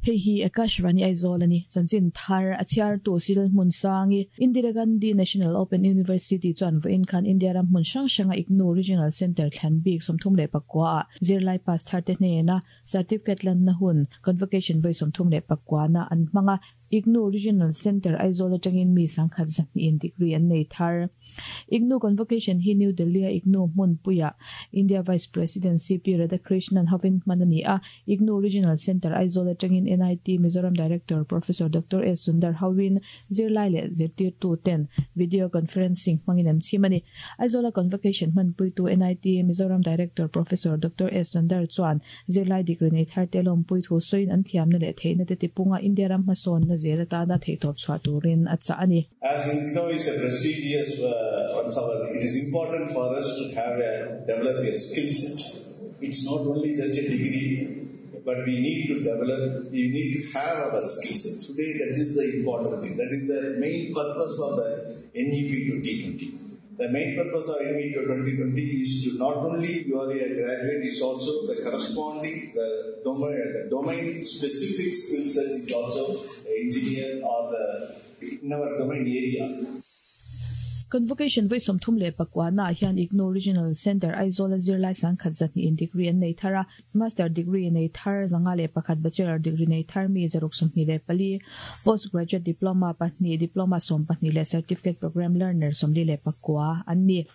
Hei hi Akashvani Aizawl a ni. Chanchin thar a chhiartu Cyril Hmunsangi, Indira Gandhi National Open University chuan vawiin khan India ram hmun hrang hranga IGNOU Regional Centre thlan bik 34 ah zirlai pass tharte hnena Certificate lanna hun Convocation vawi 34 na an hmang a. IGNOU Regional Centre Aizawl atangin mi 120 in degree an nei thar. IGNOU Convocation hi New Delhi-a IGNOU hmunpuiah India Vice President CP Radhakrishnan hovin hman a ni a. IGNOU Regional Centre Aizawl atangin NIT Mizoram Director Professor Doctor S Sundar hovin zirlai leh zirtirtu ten video conferencing hmangin an chhim a ni. Aizawla Convocation hmanpuitu NIT Mizoram Director Professor Doctor S Sundar chuan Zirlai degree nei thar te lawmpui thu sawiin an thiamna leh theihna te tipunga India ram hmasawnna zel atana theihtawp chhuah turin a chah a ni. As IGNOU is a prestigious once our it is important for us to have a develop a skill set. It's not only just a degree but we need to develop, we need to have our skill set. Today that is the important thing. That is the main purpose of the NEP 2020. The main purpose of NEP 2020 is to not only you are a graduate, is also the corresponding the domain, the domain specific skill set is also engineer or the in our domain area. Convocation vawi 39 naah hian IGNOU Regional Centre Aizawl a zirlai 120 in degree an nei thar a, Master degree nei thar 501, Bachelor degree nei thar mi 624, Post Graduate Diploma pahnih, Diploma 12 leh Certificate Programme Learner 49 an ni.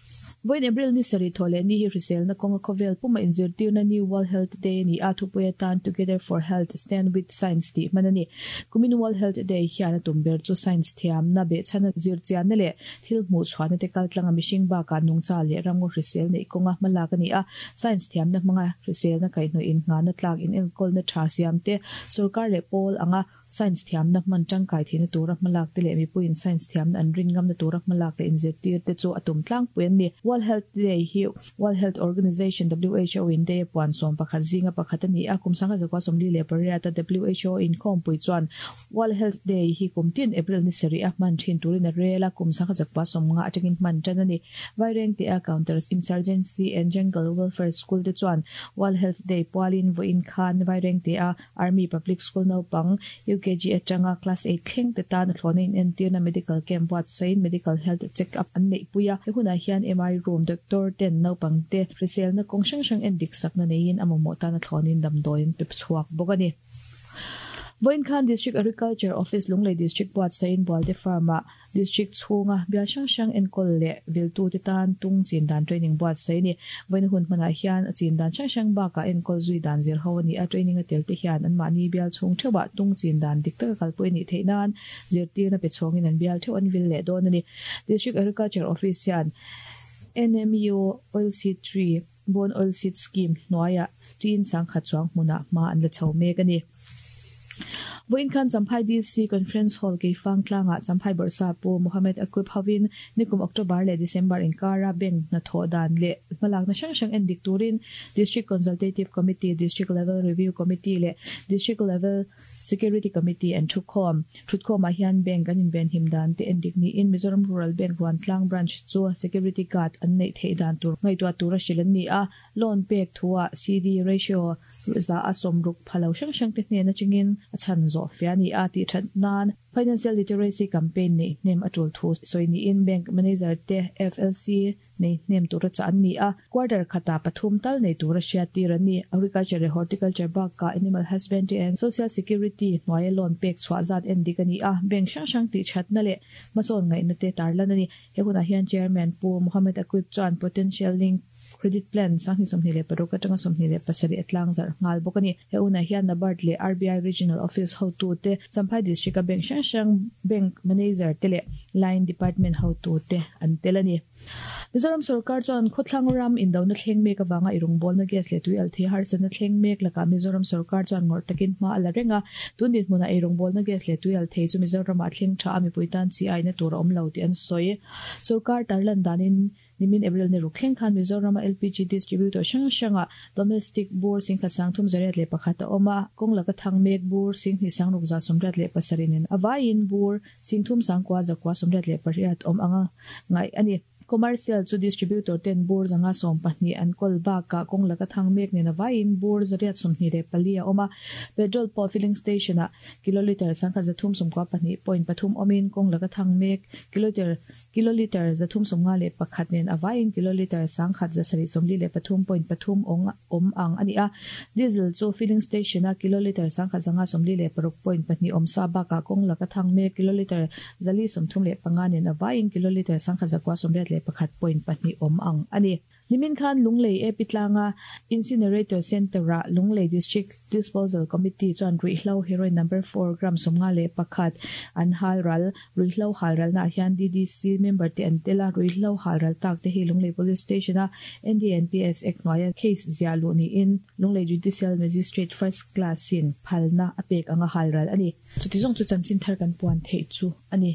Vawiin April ni sarih thawh leh ni hi hriselna kawnga khawvel puma inzirtirna New World Health Day a ni a, thupui atan Together for Health, Stand with Science tih hman a ni. Kumin World Health Day hian a tum ber chu science thiamna, behchhana zirchianna leh thil hmuh chhuahna te kaltlanga mihring bakah nungcha leh ramngaw hrisel neih kawnga hmalak a ni a, science thiamna hmanga hriselna kaihhnawih innghahna tlak inenkawlna tha siam te, sorkar leh pawl anga Science thiamna hman tangkai theihna tura hmalak te leh mipuiin science thiamna an rin ngamna tura hmalak leh inzirtir te chu a tum tlangpui an ni. World Health Day hi World Health Organization, who, in day a puan 11 zinga pakhat a ni a, kum 1948 a who inkhawmpui chuan World Health Day hi kum tin April ni sarih a hman thin turin a rel a, kum 1950 atangin hman tan a ni. Vairengte a Counter Insurgency and Jungle Welfare School te chuan World Health Day pualin vawiin khan Vairengte a Army Public School naupang UKG atanga Class eight thleng te tan a thlawhna inentirna Medical Camp buatsaihin Medical Health Check Up an neihpui a. He hunah hian MI Room Doctor ten naupang te hriselna kawng hrang hrang endik sakna neiin a mamawh tan a thlawhnin damdawi an pe chhuak bawk a ni. Vawiin khan District Agriculture Office Lunglei District buatsaihin Bualte Farm-ah District chhunga bial hrang hrang enkawl leh viltute tan tung chin dan training buatsaih a ni. Vawiina hun hmanah hian a chin dan hrang hrang bakah enkawl zui dan zir ho a ni a, training a tel te hian anmahni bial chhung theuhah tung chin dan dik taka kalpui a nih theih nan zirtirna pe chhawngin an bial theuh an vil leh dawn a ni. District Agriculture Office hian NMU Oilseed Tree, Bone Oilseed Scheme hnuaiah tiin 10,000 chuang hmunah hma an la chho mek a ni. Vawiin khan Champhai DC Conference Hall Keifang tlangah Champhai Bawrhsa Pu Mohammed Aquib hovin nikum October leh December inkara bank hnathawh dan leh hmalakna hrang hrang en dik turin District Consultative Committee, District Level Review Committee leh District Level Security Committee an thukhawm. Thutkhawmah hian bank an invenhim dan te endik niin Mizoram Rural Bank Ruantlang Branch chu Security Guard an neih theih dan tur ngaihtuah tura hrilh an ni a, loan pek thuah CD ratio 60% pha lo hrang hrang te hnen atangin a chhan zawh fia a ni a tih that nan Financial Literacy Campaign neih hnem a tul thu sawi niin Bank Manager te FLC nei hnem tura chah an ni a, quarter khatah pathum tal nei tura hriattir an ni. Agriculture leh Horticulture bakah Animal Husbandry and Social Security hnuaia loan pek chhuah zat en dik a ni a, bank hrang hrang tih thatna leh hmasawn ngaihna te tarlan a ni. He hunah hian Chairman Pu Mohammed Aquib chuan Potential Link Credit Plan 2026 atanga 27 a tlangzarh nghal bawk a ni. He hunah hian NABARD leh RBI Regional Office hotute, Champhai District-a bank hrang hrang bank manager te leh line department hotute an tel a ni. Mizoram sorkar chuan khawthlang ram indona thleng mek avanga i rawngbawlna gas leh tui alh thei harsatna thleng mek lakah Mizoram sorkar chuan ngawrh takin hma a la reng a. Tun dinhmunah ei rawngbawlna gas leh tui alh thei chu Mizoramah a thleng tha a, mipui tan chi aina tur a awm lo tih an sawi. Sorkar tarlan danin nimin April ni ruk thleng khan Mizorama LPG distributor hrang hrangah domestic bur 1301 a awm a, kawng laka thang mek bur 2687 nen a vaiin bur 39,998 awm anga ngaih a ni. Commercial chu distributor ten bur 512 an kawl bakah kawng laka thang mek nen avaiin bur 824 a awm a. Petrol pawh filling station ah kilolitre 1392.3 awmin kawng laka thang mek kilolitre kilolitre 351 nen avaiin kilolitre 1743.3 awm ang a ni a. Diesel chu filling station a kilolitre 1546.2 awm sa bakah kawng laka thang mek kilolitre 435 nen avaiin kilolitre 1981.2 awm ang a ni. Nimin khan Lunglei AP tlanga Incinerator Centre-ah Lunglei District Disposal Committee chuan ruihhlo heroin number 4 gram 51 an halral. Ruihhlo halralnaah hian DDC member te an tel a, ruihhlo halral tak te hi Lunglei Police Station-a NDNPS Act hnuaia case ziah luh niin Lunglei Judicial Magistrate First Class-in phalna a pek anga halral a ni. Chuti zawng chu chanchin thar kan puan theih chu a ni.